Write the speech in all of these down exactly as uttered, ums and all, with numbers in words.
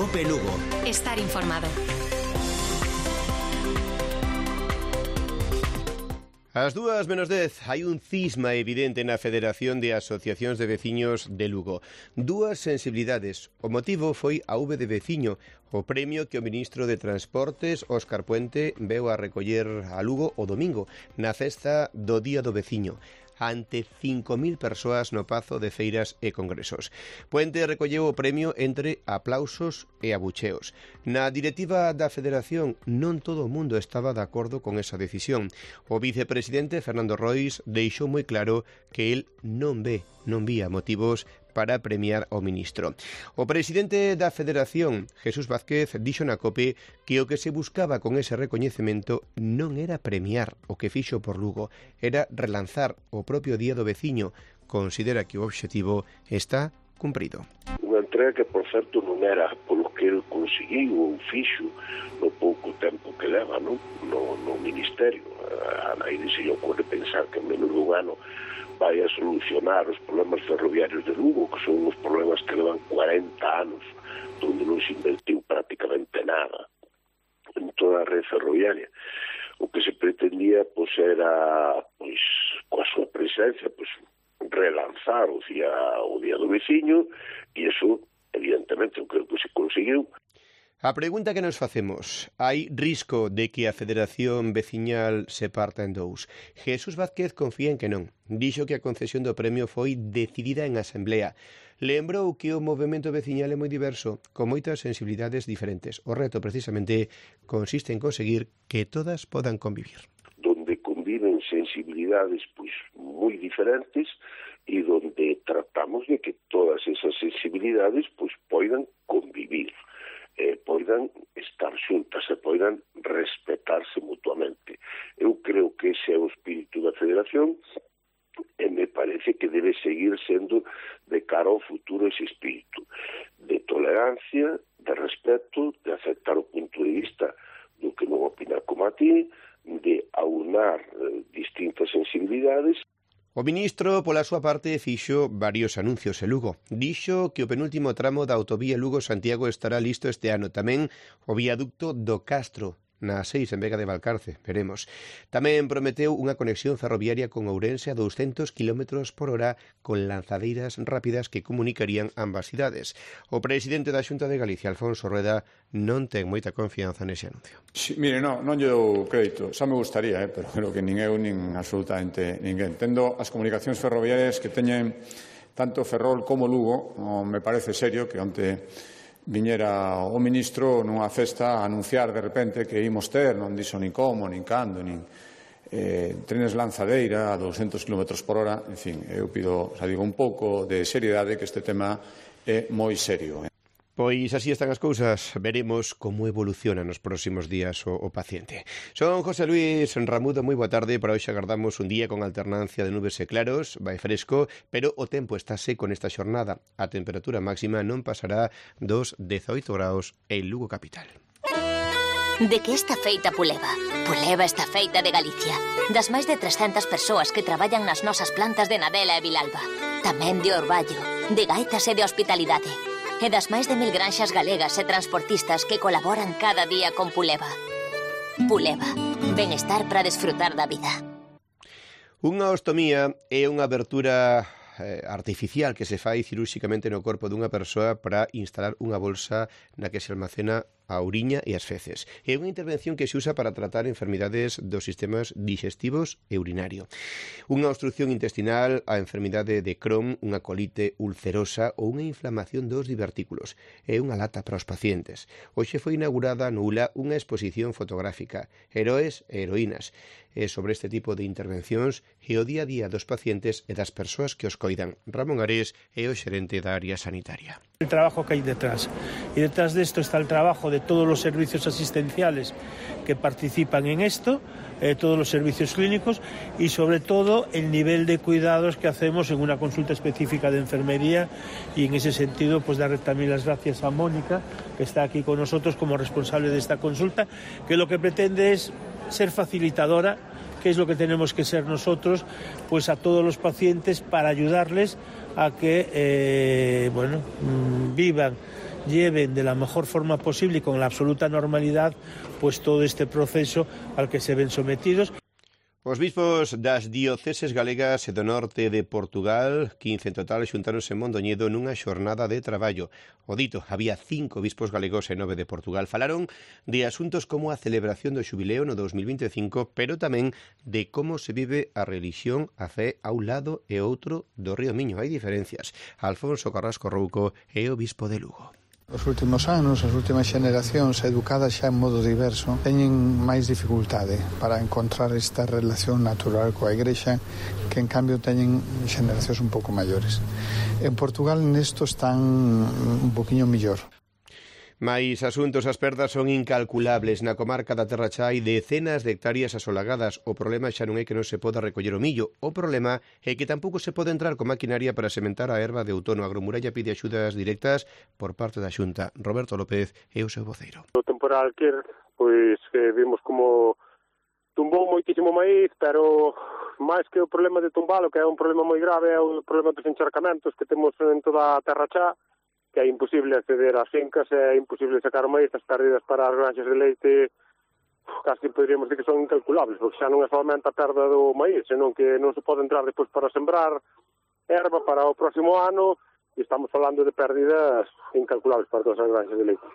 Cope Lugo. Estar informado. Ás dúas menos dez, hai un cisma evidente na Federación de Asociacións de Veciños de Lugo. Dúas sensibilidades. O motivo foi a V de Veciño, o premio que o ministro de Transportes, Óscar Puente, veu a recoller a Lugo o domingo, na festa do Día do Veciño, ante cinco mil persoas no Pazo de Feiras e Congresos. Puente recolleu o premio entre aplausos e abucheos. Na directiva da Federación non todo o mundo estaba de acordo con esa decisión. O vicepresidente Fernando Rois deixou moi claro que el non ve, non vía motivos para premiar ao ministro. O presidente da Federación, Jesús Vázquez, dixo na COPE que o que se buscaba con ese recoñecemento non era premiar o que fixo por Lugo, era relanzar o propio Día do Veciño. Considera que o obxectivo está cumprido. Unha entrega que, por certo, non era polo que ele conseguiu ou fixo no pouco tempo que leva no, no, no Ministerio. A nadie se lle ocurre pensar que en menos dun ano vai a solucionar os problemas ferroviarios de Lugo, que son os problemas que levan cuarenta anos, onde non se invertiu prácticamente nada en toda a rede ferroviaria. O que se pretendía, pois, era, pois, coa súa presencia, pois, relanzar o día, o día do veciño, e iso, evidentemente, eu creo que se conseguiu. A pregunta que nos facemos, hai risco de que a Federación Veciñal se parta en dous? Jesús Vázquez confía en que non. Dixo que a concesión do premio foi decidida en asamblea. Lembrou que o movemento veciñal é moi diverso, con moitas sensibilidades diferentes. O reto, precisamente, consiste en conseguir que todas podan convivir. Donde conviven sensibilidades pois moi diferentes e donde tratamos de que todas esas sensibilidades pois poidan convivir. Eh, poidan estar xuntas e poidan respetarse mutuamente. Eu creo que ese é o espírito da Federación e me parece que debe seguir sendo de cara ao futuro ese espírito de tolerancia, de respeto, de aceptar o punto de vista do que non opina como a ti, de aunar eh, distintas sensibilidades. O ministro, pola súa parte, fixo varios anuncios en Lugo. Dixo que o penúltimo tramo da autovía Lugo-Santiago estará listo este ano. Tamén o viaducto do Castro, na seis en Vega de Valcarce, veremos. Tamén prometeu unha conexión ferroviaria con Ourense a douscentos kilómetros por hora con lanzadeiras rápidas que comunicarían ambas cidades. O presidente da Xunta de Galicia, Alfonso Rueda, non ten moita confianza nese anuncio. Sí, mire, non, non lle dou crédito, xa me gustaría, eh, pero creo que nin eu nin absolutamente ninguén. Tendo as comunicacións ferroviarias que teñen tanto Ferrol como Lugo, non me parece serio que onte viñera o ministro nunha festa a anunciar de repente que imos ter, non dixo nin como, nin cando, nin eh, trenes lanzadeira a douscentos kilómetros por hora. En fin, eu pido, xa digo, un pouco de seriedade, que este tema é moi serio. Pois así están as cousas. Veremos como evoluciona nos próximos días o, o paciente. Son José Luis Ramudo, moi boa tarde. Para hoxe agardamos un día con alternancia de nubes e claros, vai fresco, pero o tempo está seco nesta xornada. A temperatura máxima non pasará dos dezaoito graus en Lugo capital. De que está feita Puleva? Puleva está feita de Galicia. Das máis de trescentas persoas que traballan nas nosas plantas de Nadela e Vilalba. Tamén de Orballo, de Gaitas e de Hospitalidade. E das máis de mil granxas galegas e transportistas que colaboran cada día con Puleva. Puleva, benestar para desfrutar da vida. Unha ostomía é unha abertura eh, artificial que se fai cirúrxicamente no corpo dunha persoa para instalar unha bolsa na que se almacena a uriña e as feces. É unha intervención que se usa para tratar enfermidades dos sistemas digestivos e urinario. Unha obstrucción intestinal, a enfermidade de Crohn, unha colite ulcerosa ou unha inflamación dos divertículos. É unha lata para os pacientes. Hoxe foi inaugurada no U L A unha exposición fotográfica, Heroes e Heroínas. É sobre este tipo de intervencións e o día a día dos pacientes e das persoas que os coidan. Ramón Arés é o xerente da área sanitaria. El trabajo que hay detrás. Y detrás de esto está el trabajo de todos los servicios asistenciales que participan en esto, eh, todos los servicios clínicos y sobre todo el nivel de cuidados que hacemos en una consulta específica de enfermería, y en ese sentido pues darle también las gracias a Mónica, que está aquí con nosotros como responsable de esta consulta, que lo que pretende es ser facilitadora, que es lo que tenemos que ser nosotros, pues a todos los pacientes, para ayudarles a que eh, bueno, vivan lleven de la mejor forma posible y con la absoluta normalidad pues todo este proceso al que se ven sometidos. Os bispos das dioceses galegas e do norte de Portugal, quince en total, xuntáronse en Mondoñedo nunha xornada de traballo. O dito, había cinco bispos galegos e nove de Portugal. Falaron de asuntos como a celebración do xubileo no dos mil vinte e cinco, pero tamén de como se vive a religión, a fe a un lado e outro do Río Miño. Hai diferencias. Alfonso Carrasco Rouco é o bispo de Lugo. Os últimos anos, as últimas xeneracións educadas xa en modo diverso teñen máis dificultade para encontrar esta relación natural coa Igrexa que en cambio teñen xeneracións un pouco maiores. En Portugal nesto están un poquinho mellor. Mais asuntos, as perdas son incalculables. Na comarca da Terra Cha hai decenas de hectáreas asolagadas. O problema xa non é que non se poda recoller o millo. O problema é que tampouco se pode entrar con maquinaria para sementar a erva de outono. A Agromuralla pide axudas directas por parte da Xunta. Roberto López é o seu voceiro. O temporal que pois que vimos como tumbou moitísimo maíz, pero máis que o problema de tumbalo, que é un problema moi grave, é o problema dos encharcamentos que temos en toda a Terra Cha, que é imposible acceder ás fincas, é imposible sacar o maíz, as pérdidas para as granxas de leite casi poderíamos dizer que son incalculables, porque xa non é solamente a perda do maíz, senón que non se pode entrar depois para sembrar erva para o próximo ano, e estamos falando de pérdidas incalculables para todas as granxas de leite.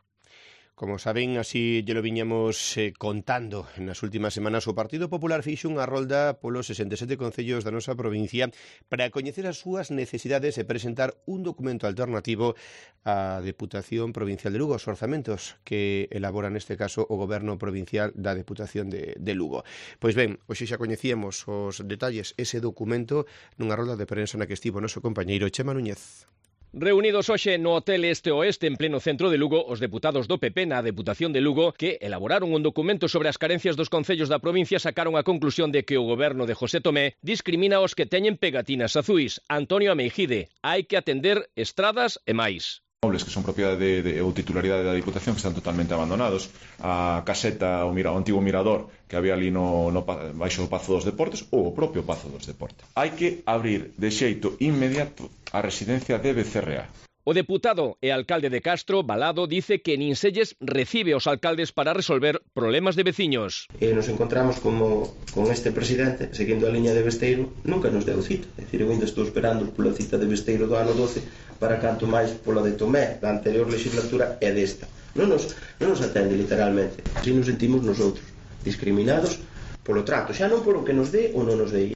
Como saben, así lle lo viñamos eh, contando nas últimas semanas, o Partido Popular fixo unha rolda polos sesenta e sete concellos da nosa provincia para coñecer as súas necesidades e presentar un documento alternativo á Deputación Provincial de Lugo, os orzamentos que elabora neste caso o Goberno Provincial da Deputación de, de Lugo. Pois ben, hoxe xa coñecíamos os detalles ese documento nunha rolda de prensa na que estivo o noso compañeiro Chema Núñez. Reunidos hoxe no Hotel Este Oeste en pleno centro de Lugo, os deputados do P P na Deputación de Lugo, que elaboraron un documento sobre as carencias dos concellos da provincia, sacaron a conclusión de que o goberno de José Tomé discrimina os que teñen pegatinas azuis. Antonio Ameijide, hai que atender estradas e máis. Mobles que son propiedade de, de, ou titularidade da Diputación que están totalmente abandonados, a caseta, o, mira, o antigo mirador que había ali no, no, baixo o Pazo dos Deportes ou o propio Pazo dos Deportes. Hai que abrir de xeito inmediato a residencia de Becerrea. O deputado e alcalde de Castro, Balado, dice que nin selles recibe aos alcaldes para resolver problemas de veciños. E nos encontramos como con este presidente, seguindo a liña de Besteiro, nunca nos deu cita. É dicir, eu ainda estou esperando pola cita de Besteiro do ano doce para canto máis pola de Tomé da anterior legislatura e desta. Non nos, non nos atende literalmente. Así nos sentimos nosotros, discriminados polo trato, xa non polo que nos dé ou non nos dé.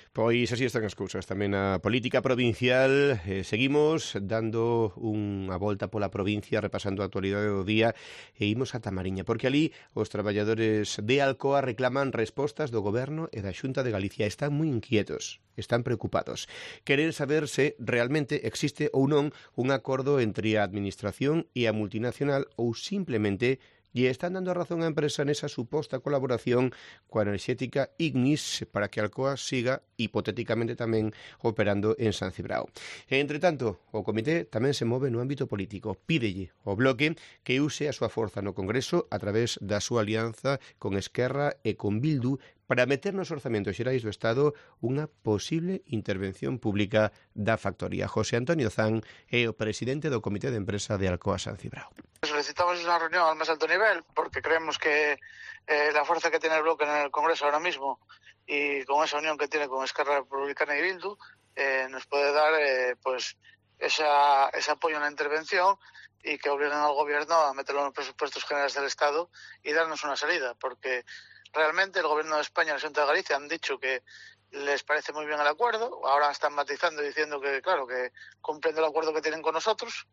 Pois así están as cousas tamén na política provincial. Eh, seguimos dando unha volta pola provincia, repasando a actualidade do día, e imos a Tamariña, porque ali os traballadores de Alcoa reclaman respostas do Goberno e da Xunta de Galicia. Están moi inquietos, están preocupados. Queren saber se realmente existe ou non un acordo entre a Administración e a multinacional ou simplemente e están dando a razón á empresa nesa suposta colaboración coa enerxética Ignis para que Alcoa siga hipotéticamente tamén operando en San Cibrao. E, entre tanto, o comité tamén se move no ámbito político. Pídelle ao Bloque que use a súa forza no Congreso a través da súa alianza con Esquerra e con Bildu para meter nos orzamentos xerais do Estado unha posible intervención pública da factoría. José Antonio Zan é o presidente do Comité de Empresa de Alcoa San Cibrao. Solicitamos una reunión al más alto nivel porque creemos que eh, la fuerza que tiene el bloque en el Congreso ahora mismo y con esa unión que tiene con Esquerra Republicana y Bildu eh, nos puede dar eh, pues esa, ese apoyo en la intervención y que obliguen al Gobierno a meterlo en los presupuestos generales del Estado y darnos una salida, porque realmente el Gobierno de España y la Xunta de Galicia han dicho que les parece muy bien el acuerdo, ahora están matizando diciendo que, claro, que cumplen el acuerdo que tienen con nosotros,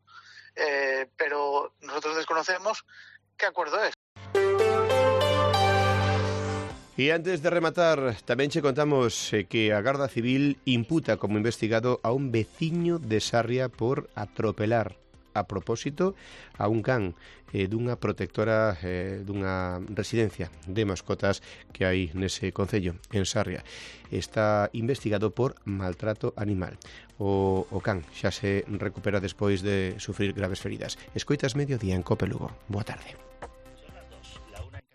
eh, pero nosotros desconocemos qué acuerdo es. E antes de rematar, tamén che contamos que a Garda Civil imputa como investigado a un veciño de Sarria por atropelar a propósito a un can eh, dunha protectora eh, dunha residencia de mascotas que hai nese concello, en Sarria. Está investigado por maltrato animal. O, o can xa se recupera despois de sufrir graves feridas. Escoitas Mediodía en Cope Lugo. Boa tarde.